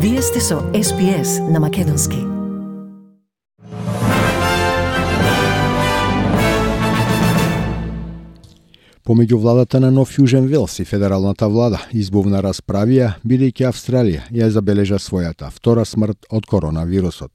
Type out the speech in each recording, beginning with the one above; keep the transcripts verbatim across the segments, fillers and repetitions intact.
Вие сте со Ес Би Ес на Македонски. Помеѓу владата на Нов Јужен Велс и федералната влада избувна расправија, бидејќи Австралија ја забележа својата втора смрт од коронавирусот.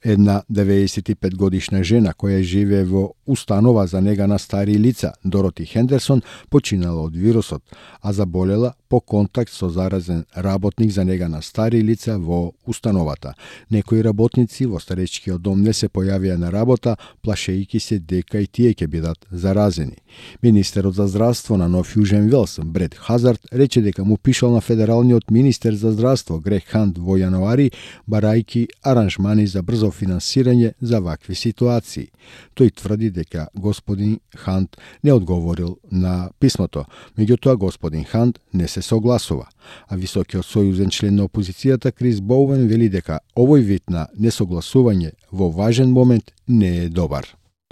Една деветдесет и пет годишна жена која живее во установа за нега на стари лица, Дороти Хендерсон, починала од вирусот, а заболела по контакт со заразен работник за нега на стари лица во установата. Некои работници во старечкиот дом не се појавија на работа, плашејќи се дека и тие ќе бидат заразени. Министерот за здравство на Нов Јужен Велс, Брет Хазард, рече дека му пишал на федералниот министер за здравство Грег Хант во јануари, барајќи аранжмани за брзо финансирање за вакви ситуации. Тој тврди дека господин Хант не одговорил на писмото. Меѓутоа, господин Хант не се согласува. А високиот сојузен член на опозицијата Крис Боуен вели дека овој вид на несогласување во важен момент не е добар.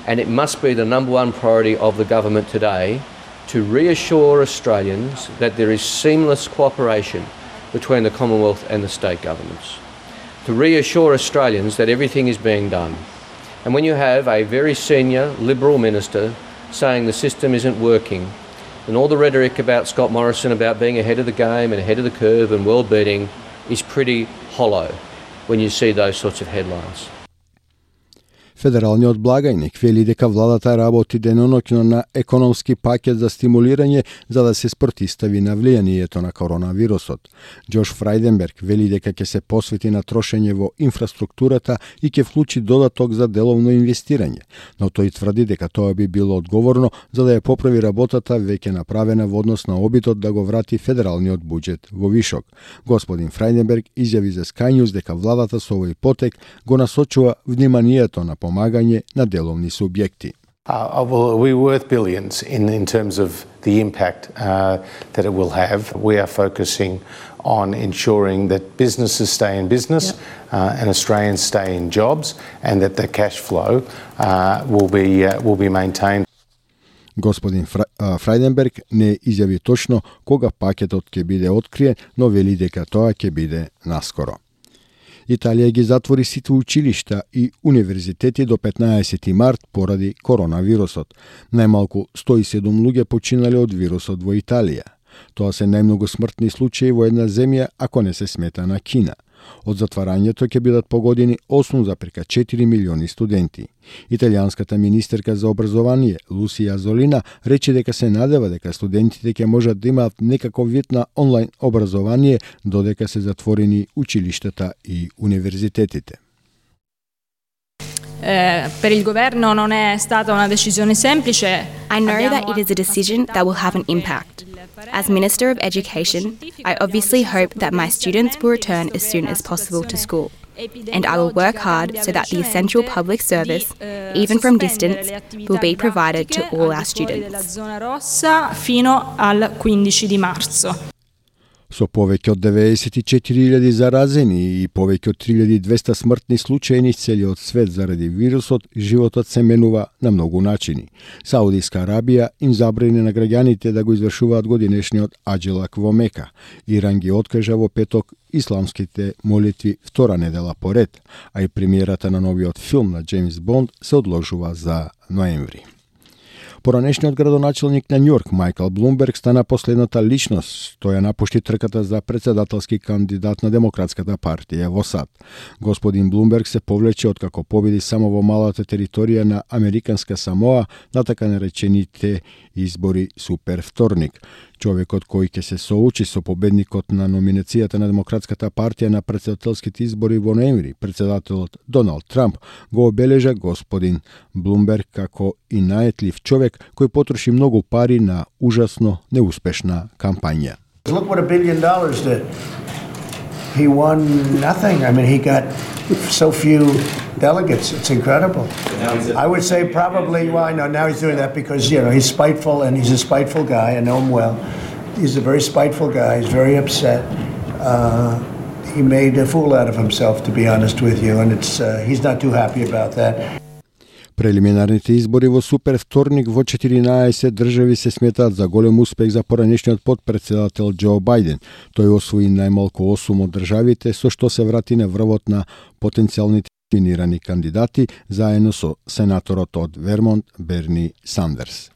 And it must be the number one priority of the government today to reassure Australians that there is seamless cooperation between the Commonwealth and the state governments. To reassure Australians that everything is being done. And when you have a very senior Liberal minister saying the system isn't working, then all the rhetoric about Scott Morrison about being ahead of the game and ahead of the curve and world-beating is pretty hollow when you see those sorts of headlines. Федералниот благајник вели дека владата работи деноноќно на економски пакет за стимулирање за да се спротистави на влијанието на коронавирусот. Џош Фрајденберг вели дека ќе се посвети на трошење во инфраструктурата и ќе вклучи додаток за деловно инвестирање, но тој тврди дека тоа би било одговорно за да ја поправи работата веќе направена во однос на обидот да го врати федералниот буџет во вишок. Господин Фрајденберг изјави за Sky News дека владата со овој потек го насочува вниманието на помагање на деловни субјекти. Uh, well, we're worth billions in, in terms of the impact uh, that it will have. We are focusing on ensuring that businesses stay in business yep. uh, and Australians stay in jobs and that the cash flow uh, will be, uh, will be maintained. Господин Фра... Фрајденберг не изјави точно кога пакетот ќе биде откриен, но вели дека тоа ќе биде наскоро. Италија ги затвори сите училишта и универзитети до петнаесети март поради коронавирусот. Најмалку сто и седум луѓе починале од вирусот во Италија. Тоа се најмногу смртни случаи во една земја, ако не се смета на Кина. Од затварањето ќе бидат погодени осум зарез четири милиони студенти. Италијанската министерка за образование Лусија Золина рече дека се надева дека студентите ќе можат да имаат некаков вид на онлайн образование додека се затворени училиштата и универзитетите. Eh, per il governo non è stata una decisione semplice. I know that it is a decision that will have an impact. As Minister of Education, I obviously hope that my students will return as soon as possible to school. And I will work hard so that the essential public service, even from distance, will be provided to all our students. Fino al quindici di marzo. Со повеќе од деветдесет и четири илјади заразени и повеќе од три илјади и двесте смртни случаи низ целиот свет заради вирусот, животот се менува на многу начини. Саудиска Арабија им забрани на граѓаните да го извршуваат годинешниот аџелак во Мека. Иран ги откажа во петок исламските молитви втора недела поред, а и премиерата на новиот филм на Джеймс Бонд се одложува за ноември. Поранешниот градоначелник на Њујорк Мајкл Блумберг стана последната личност. Тој ја напушти трката за председателски кандидат на Демократската партија во САД. Господин Блумберг се повлече откако победи само во малата територија на Американска Самоа на така наречените избори Супер вторник. Човекот кој ќе се соочи со победникот на номинацијата на Демократската партија на претседателските избори во ноември, председателот Доналд Трамп, го обележа господин Блумберг како и наетлив човек кој потроши многу пари на ужасно неуспешна кампања. Look what a billion dollars did. He won nothing. I mean, he got so few delegates. It's incredible. I would say probably, well, I know now he's doing that because, you know, he's spiteful and he's a spiteful guy. I know him well. He's a very spiteful guy. He's very upset. Uh, he made a fool out of himself, to be honest with you, and it's uh, he's not too happy about that. Прелиминарните избори во супер вторник во четиринаесет држави се сметаат за голем успех за поранешниот потпредседател Џо Бајден. Тој освои најмалку осум од државите, со што се врати на врвот на потенцијалните номинирани кандидати, заедно со сенаторот од Вермонт Берни Сандерс.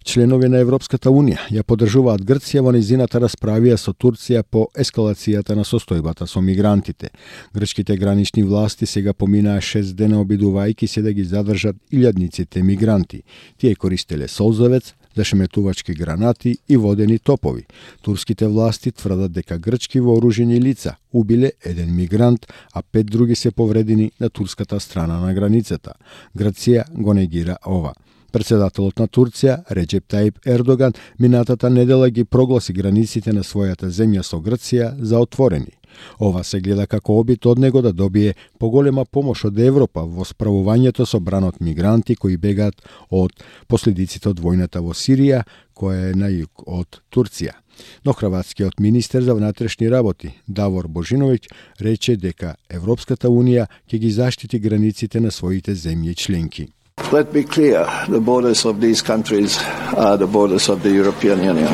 Членови на Европската Унија ја поддржуваат Грција во нејзината расправија со Турција по ескалацијата на состојбата со мигрантите. Грчките гранични власти сега поминаа шест дена обидувајќи се да ги задржат илјадниците мигранти. Тие користеле солзавец, зашеметувачки гранати и водени топови. Турските власти тврдат дека грчки вооружени лица убиле еден мигрант, а пет други се повредени на турската страна на границата. Грција го негира ова. Председателот на Турција, Реџеп Таип Ердоган, минатата недела ги прогласи границите на својата земја со Грција за отворени. Ова се гледа како обид од него да добие поголема помош од Европа во справувањето со бранот мигранти кои бегаат од последиците од војната во Сирија, која е на југ од Турција. Но хрватскиот министер за внатрешни работи Давор Божиновиќ рече дека Европската Унија ќе ги заштити границите на своите земји членки. Let's be clear, the borders of these countries are the borders of the European Union,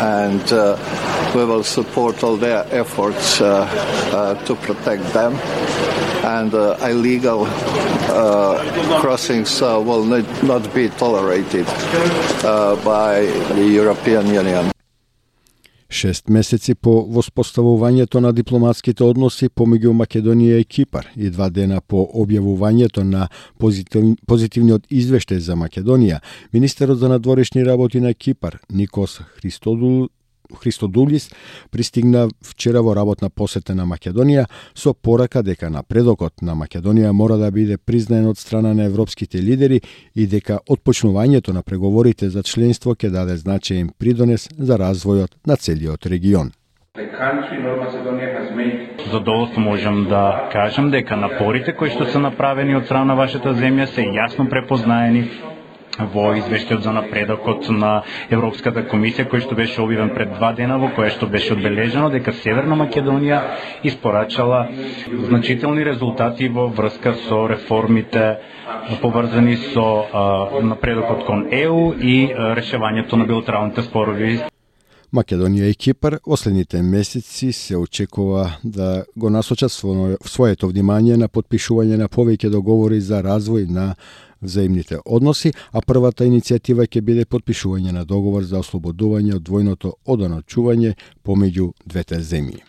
and uh, we will support all their efforts uh, uh, to protect them, and uh, illegal uh, crossings uh, will not be tolerated uh, by the European Union. Шест месеци по воспоставувањето на дипломатските односи помеѓу Македонија и Кипар и два дена по објавувањето на позитив, позитивниот извештај за Македонија, министерот за надворешни работи на Кипар Никос Христодул Христодулис пристигна вчера во работна посета на Македонија со порака дека напредокот на Македонија мора да биде признаен од страна на европските лидери и дека отпочнувањето на преговорите за членство ќе даде значаен придонес за развојот на целиот регион. Задоволство можам да кажам дека напорите кои што се направени од страна на вашата земја се јасно препознаени во извештајот за напредокот на Европската комисија, кој што беше објавен пред два дена, во која што беше одбележено дека Северна Македонија испорачала значителни резултати во врска со реформите поврзани со а, напредокот кон Е У и а, решавањето на билатералните спорови. Македонија и Кипар во следните месеци се очекува да го насочат своето внимание на подпишување на повеќе договори за развој на взаимните односи, а првата иницијатива ќе биде подпишување на договор за ослободување од двојното одоночување помеѓу двете земји.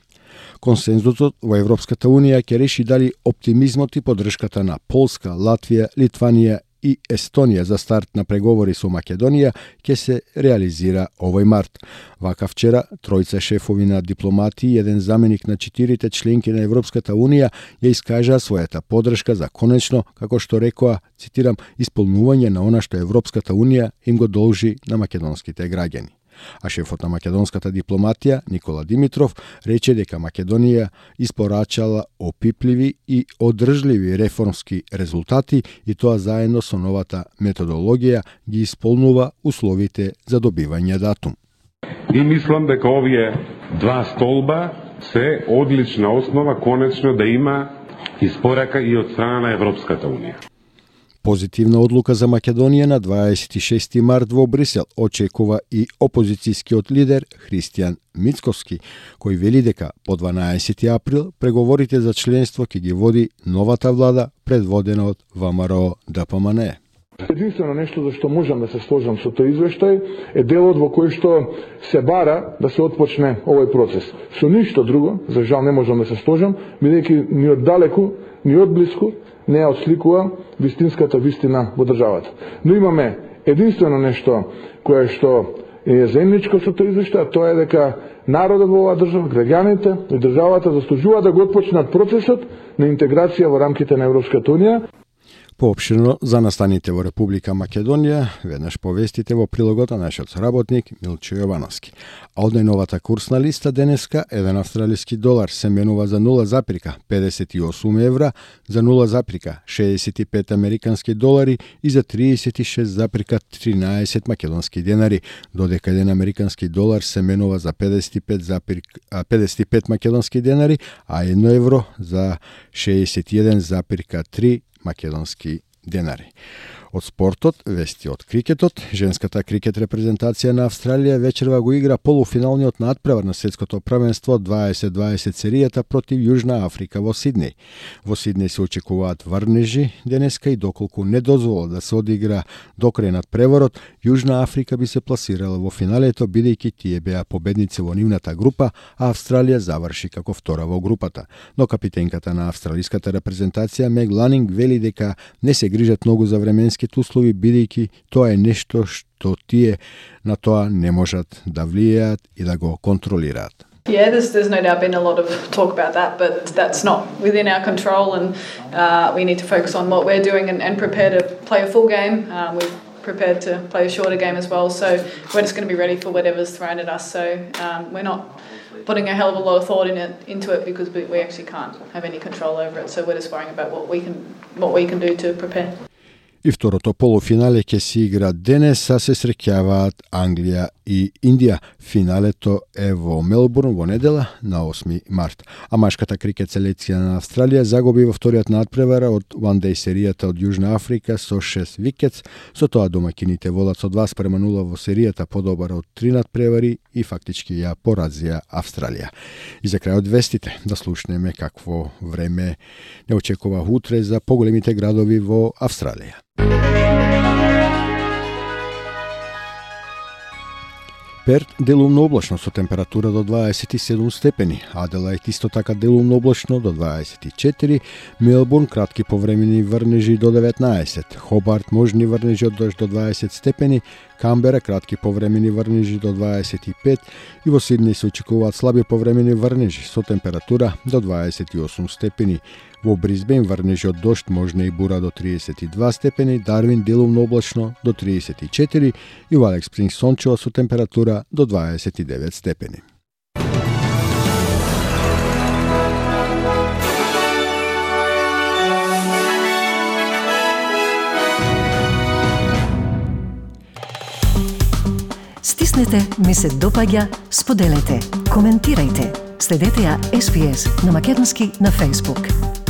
Консензусот во Европската Унија ќе реши дали оптимизмот и поддршката на Полска, Латвија, Литванија и Естонија за старт на преговори со Македонија ќе се реализира овој март. Вака вчера, тројца шефови на дипломати и еден заменик на четирите членки на Европската Унија ја искажаа својата поддршка за конечно, како што рекоа, цитирам, исполнување на она што Европската Унија им го должи на македонските граѓани. А шефот на македонската дипломатија, Никола Димитров, рече дека Македонија испорачала опипливи и одржливи реформски резултати и тоа заедно со новата методологија ги исполнува условите за добивање датум. И мислам дека овие два столба се одлична основа конечно да има испорака и од страна на Европската Унија. Позитивна одлука за Македонија на дваесет и шести март во Брисел очекува и опозицијскиот лидер Христијан Мицковски, кој вели дека по дванаесети април преговорите за членство ќе ги води новата влада предводена од ВМРО Д П М Н. Единствено нешто за што можам да се сложам со тој извештај е делот во кој што се бара да се отпочне овој процес. Со ништо друго, за жал не можам да се сложам, бидејќи ни од далеку, ни од блиску не ја отсликува вистинската вистина во државата. Но имаме единствено нешто кое што е заедничко со тој извештај, а тоа е дека народот во оваа држава, граѓаните и државата заслужуваат да го отпочнат процесот на интеграција во рамките на Европската Унија. Поопширно за настаните во Република Македонија, веднаш повестите во прилогот на нашиот соработник Милчо Јовановски. А од најновата курсна листа денеска, еден австралиски долар се менува за нула запирка педесет и осум евра, за нула запирка шеесет и пет американски долари и за триесет и шест запирка тринаесет македонски денари, додека еден американски долар се менува за педесет и пет, запирка, педесет и пет македонски денари, а едно евро за шеесет и еден запирка три македонски денари. Од спортот, вести од крикетот, женската крикет репрезентација на Австралија вечерва го игра полуфиналниот надпревар на светското првенство дваесет дваесет серијата против Јужна Африка во Сиднеј. Во Сиднеј се очекуваат врнежи денеска и доколку не дозволат да се одигра до крај надпреварот, Јужна Африка би се пласирала во финалето бидејќи тие беа победници во нивната група, а Австралија заврши како втора во групата. Но капитенката на австралиската репрезентација Мег Ланинг вели дека не се грижат многу за временски услови, бидејќи тоа е нешто што тие на тоа не можат да влијаат и да го контролираат. Yeah, there's, there's no doubt been a lot of talk about that, but that's not within our control, and uh, we need to focus on what we're doing and, and prepare to play a full game. Um, we've prepared to play a shorter game as well, so we're just going to be ready for whatever's thrown at us. So um, we're not putting a hell of a lot of thought in it, into it because we, we actually can't have any control over it. So we're just worrying about what we can what we can do to prepare. И второто полуфинале ќе се игра денес, а се среќаваат Англија и Индија. Финалето е во Мелбурн во недела на осми март. А машката крикет селекција на Австралија загуби во вториот надпревар од One Day серијата од Јужна Африка со шест викетс. Со тоа домаќините водат со два спрема нула во серијата подобар од три надпревари и фактички ја поразија Австралија. И за крај од вестите да слушнеме какво време не очекува утре за поголемите градови во Австралија. Перт делумно облачно со температура до дваесет и седум степени, Аделаид исто така делумно облачно до дваесет и четири, Мелбурн кратки повремени врнежи до деветнаесет, Хобарт можни врнежи од дожд до дваесет степени, Камбера кратки повремени врнежи до дваесет и пет и во Сиднеј се очекуваат слаби повремени врнежи со температура до дваесет и осум степени. Во Брисбен врнежи од дожд можна и бура до триесет и два степени, Дарвин делумно облачно до триесет и четири и во Алекс Спрингс сончево со температура до дваесет и девет степени. Стиснете, ми се допаѓа, споделете, коментирајте. Следете ја Ес Би Ес на македонски на Facebook.